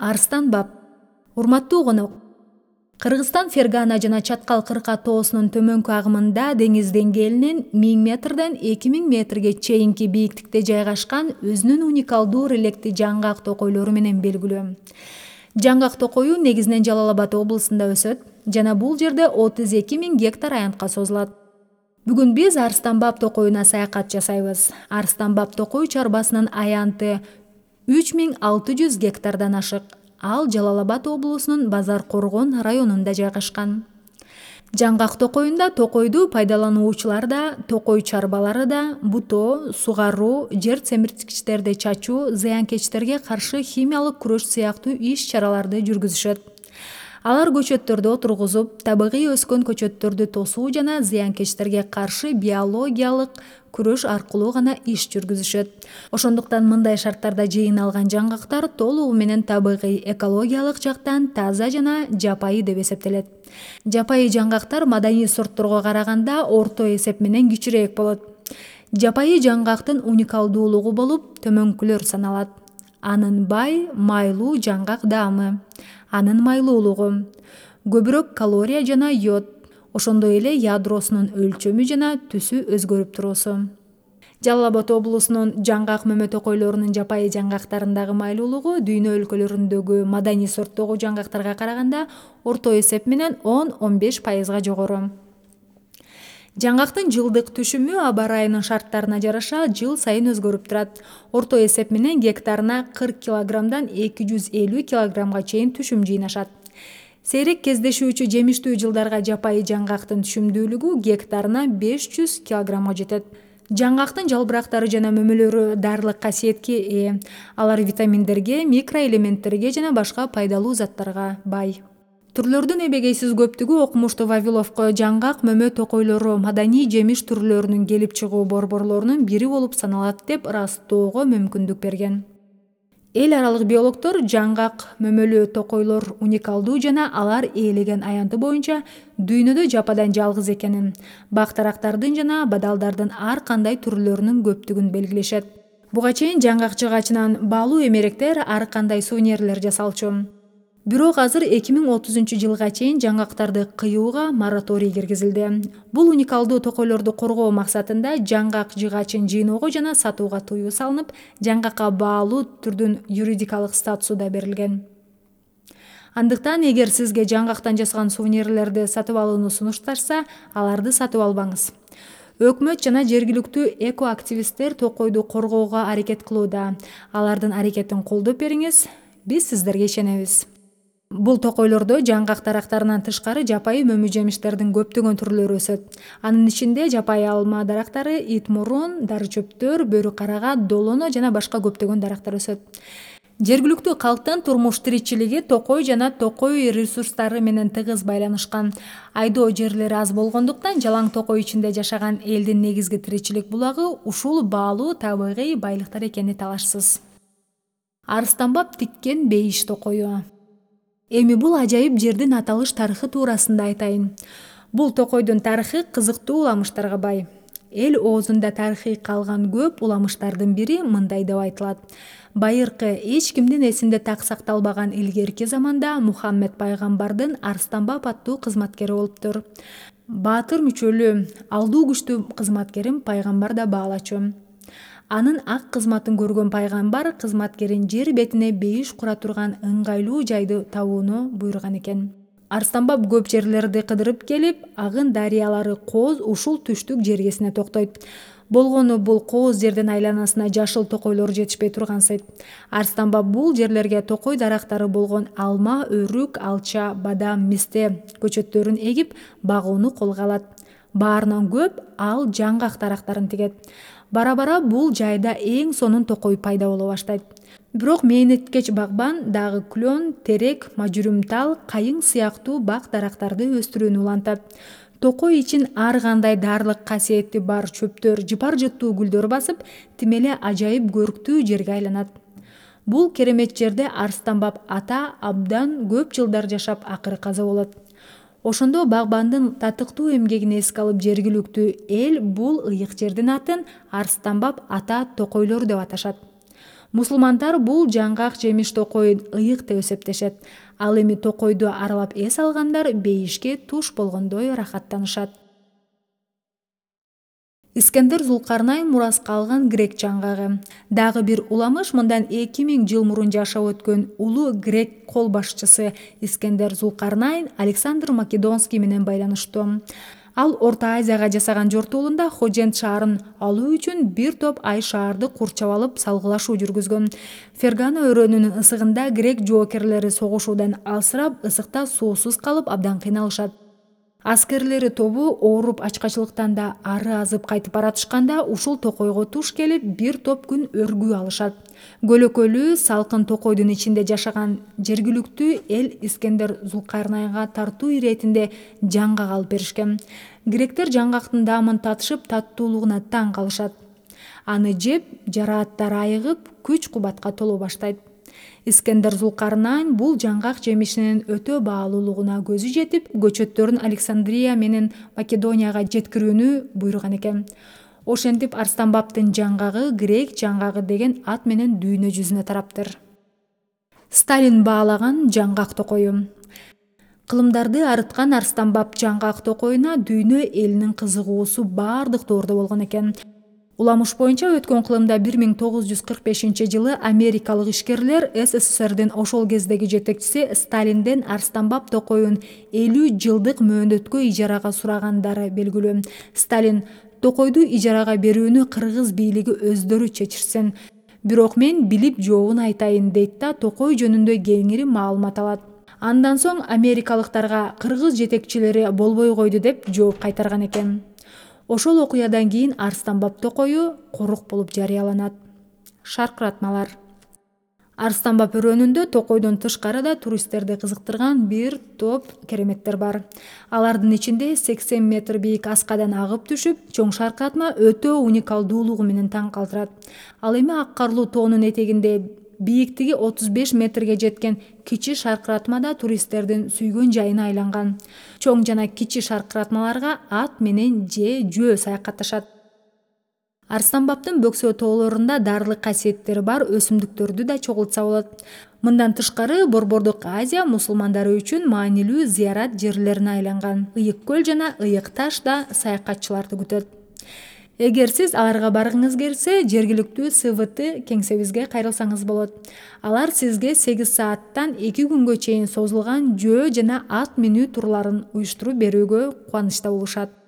Арстанбап. Урматтуу конок. Кыргызстан Фергана жана Чаткал кырка тоосунун төмөнкү агымында деңиз деңгээлинен 1000 метрден 2000 метрге чейинки бийиктикте жайгашкан өзүнүн уникалдуу релектий жаңгак токойлору менен белгилүү. Жаңгак токою негизинен Жалал Абад облусунда өсөт жана бул жерде 32 000 гектар аянтка созулат. Бүгүн биз Арстанбап токоюна саякат жасайбыз. Арстанбап токой чарбасынын аянты 3600 гектардан ашык. Ал Жалал Абад облусунун Базар Коргон районунда жайгашкан. Жаңгак токоюнда токойду пайдалануучулар да, токой чарбалары да бутоо, сугаруу, жер семирткичтерди чачуу, зыянкечтерге каршы химиялык күрөш сыяктуу иш-чараларды жүргүзүшөт. Алар көчөттөрдү отургузуп, табигый өскөн көчөттөрдү тосуу жана зыянкечтерге каршы биологиялык күрөш аркылуу гана иш жүргүзүшөт. Ошондуктан мындай шарттарда жыйналган жаңгактар толугу менен табигый, экологиялык жактан таза жана жапайы деп эсептелет. Жапайы жаңгактар маданий сортторго караганда орто эсеп менен кичирээк болот. Жапайы жаңгактын уникалдуулугу болуп төмөнкүлөр саналат. Анын бай, майлуу жаңгак даамы, анын майлуулугу, көбүрөөк калория жана йод, ошондой эле ядросунун өлчөмү жана түсү өзгөрүп туруусу. Жалал Абад облусунун жаңгак мөмө токойлорунун жапайы жаңгактарындагы майлуулугу дүйнө өлкөлөрүндөгү маданий сорттогу жаңгактарга караганда орто эсеп менен 10–15% жогору. Жаңгактын жылдык түшүмү аба ырайынын шарттарына жараша жыл сайын өзгөрүп турат. Орто эсеп менен гектарына 40 килограммдан 250 килограммга чейин түшүм жыйнашат. Сейрек кездешүүчү жемиштүү жылдарга жапайы жаңгактын түшүмдүүлүгү гектарына 500 килограммга жетет. Жаңгактын жалбырактары жана мөмөлөрү дарылык касиетке ээ. Алар витаминдерге, микроэлементтерге жана башка пайдалуу заттарга бай. Түрлөрдүн эбегейсиз көптүгү окумуштуу Вавиловко жаңгак мөмө токойлору маданий жемиш түрлөрүнүн келип чыгуу борборлорунун бири болуп саналат деп ырастоого мүмкүндүк берген. Эл аралык биологдор жаңгак мөмөлүү токойлор уникалдуу жана алар ээлеген аянты боюнча дүйнөдө жападан жалгыз экенин, бак-тарактардын жана бадалдардын ар кандай түрлөрүнүн көптүгүн белгилешет. Буга чейин жаңгак жыгачынан баалуу эмеректер ар кандай сувенирлер жасалчу. Бирок азыр 2030 жылга чейин жаңгактарды кыюуга мораторий киргизилди. Бул уникалдуу токойлорду коргоо максатында жаңгак жыгачын жыйноого жана сатууга тыюу салынып, жаңгакка баалуу түрдүн юридикалык статусу да берилген. Андыктан эгер сизге жаңгактан жасалган сувенирлерди сатып алууну сунушташса, аларды сатып албаңыз. Өкмөт жана жергиликтүү экоактивисттер токойду коргоого аракет кылууда. Алардын аракетин колдоп бериңиз, биз сиздерге ишенебиз. Бул токойлордо жаңгак дарактарынан тышкары жапайы мөмө жемиштердин көптөгөн түрлөрү өсөт. Анын ичинде жапайы алма дарактары, ит мурун, дары чөптөр, бөрү карага, долоно жана башка көптөгөн дарактар өсөт. Жергиликтүү калктын турмуш тиричилиги токой жана токой ресурстары менен тыгыз байланышкан. Айдоо жерлери аз болгондуктан жалаң токой ичинде жашаган элдин негизги тиричилик булагы ушул баалуу табигый байлыктар экени талашсыз. Арстанбап тиккен бейиш токою. Эми бул ажайып жердин аталыш тарыхы туурасында айтайын. Бул токойдун тарыхы кызыктуу уламыштарга бай. Эл оозунда тарыхый калган көп уламыштардын бири мындай деп айтылат. Байыркы эч кимдин эсинде так сакталбаган илгерки заманда Мухаммед пайгамбардын Арстанбап аттуу кызматкери болуптур. Баатыр мүчөлүү, алдуу күчтүү кызматкерим пайгамбар да баалачу. Анын ак кызматын көргөн пайгамбар кызматкерин жер бетине бейиш кура турган ыңгайлуу жайды табууну буйруган экен. Арстанбап көп жерлерди кыдырып келип, агын дарыялары кооз ушул түштүк жергесине токтойт. Болгону бул кооз жердин айланасына жашыл токойлор жетишпей тургансыйт. Арстанбап бул жерлерге токой дарактары болгон алма, өрүк, алча, бадам, мисте көчөттөрүн эгип, багууну колго алат. Баарынан көп ал жаңгак дарактарын тигет. Бара-бара бул жайда эң сонун токой пайда боло баштайт. Бирок мээнеткеч багбан дагы клен, терек, мажүрүмтал, кайың сыяктуу бак дарактарды өстүрүүнү улантат. Токой ичин ар кандай дарылык касиети бар чөптөр, жыпар-жыттуу гүлдөр басып, тим эле ажайып көрктүү жерге айланат. Бул керемет жерде Арстанбап ата абдан көп жылдар жашап акыры каза болот. Ошондо багбандын татыктуу эмгегин эске алып жергиликтүү эл бул ыйык жердин атын Арстанбап ата токойлор деп аташат. Мусулмандар бул жаңгак жемиш токойун ыйык деп эсептешет. Ал эми токойду аралап эс алгандар бейишке туш болгондой рахаттанышат. Искендер Зулкарнайн мураска алган грек жаңгагы. Дагы бир уламыш мындан 2000 жыл мурун жашап өткөн улуу грек кол башчысы Искендер Зулкарнайн Александр Македонский менен байланыштуу. Ал Орто Азияга жасаган жортуулунда Ходжент шаарын алуу үчүн бир топ ай шаарды курчап алып салгылашуу жүргүзгөн. Фергана өрөөнүнүн ысыгында грек жоокерлери согушуудан алсырап, ысыкта суусуз калып абдан кыйналышат. Аскерлери тобу ооруп ачкачылыктан да ары азып кайтып баратышканда ушул токойго туш келип бир топ күн өргүү алышат. Көлөкөлүү салкын токойдун ичинде жашаган жергиликтүү эл Искендер Зулкарнайнга тартуу иретинде жаңгак алып беришкен. Гректер жаңгактын даамын татышып, таттуулугуна таң калышат. Аны жеп, жарааттары айыгып, күч-кубатка толо баштайт. Искендер Зулкарнайн бул жаңгак жемишинин өтө баалуулугуна көзү жетип, көчөттөрүн Александрия менен Македонияга жеткирүүнү буйруган экен. Ошентип Арстанбаптын жаңгагы грек жаңгагы деген ат менен дүйнө жүзүнө тараптыр. Сталин баалаган жаңгак токою. Кылымдарды арыткан Арстанбап жаңгак токоюна дүйнө элинин кызыгуусу бардык тоордо болгон экен. Уламыш боюнча өткөн кылымда 1945-жылы америкалык ишкерлер СССРдин ошол кездеги жетекчиси Сталинден Арстанбап токоюн 50 жылдык мөөнөткө ижарага сурагандары белгилүү. Сталин токойду ижарага берүүнү кыргыз бийлиги өздөрү чечирсин. Бирок мен билип жообун айтайын дейт да токой жөнүндө кеңири маалымат алат. Андан соң америкалыктарга кыргыз жетекчилери болбой койду деп жооп кайтарган экен. Ошол окуядан кийин Арстанбап токою корук болуп жарыяланат. Шаркыратмалар. Арстанбап өрөөнүндө токойдон тышкары да туристтерди кызыктырган бир топ кереметтер бар. Алардын ичинде 80 метр бийик аскадан агып түшүп, чоң шаркыратма өтө уникалдуулугу менен таң калтырат. Ал эми ак карлуу тоонун этегинде бийиктиги 35 метрге жеткен кичи шаркыратма да туристтердин сүйгөн жайына айланган. Чоң жана кичи шаркыратмаларга ат менен же жөө саякатташат. Арстанбаптын бөксө тоолорунда дарылык касиеттери бар өсүмдүктөрдү да чогултса болот. Мындан тышкары Борбордук Азия мусулмандары үчүн маанилүү зыярат жерлерине айланган. Ыйык көл жана Ыйык таш да саякатчыларды күтөт. Эгер сиз аларга баргыңыз келсе, жергиликтүү СВТ кеңсебизге кайрылсаңыз болот. Алар сизге 8 сааттан 2 күнгө чейин созулган жөө жана ат минүү турларын уюштуруп берүүгө кубанычта болушат.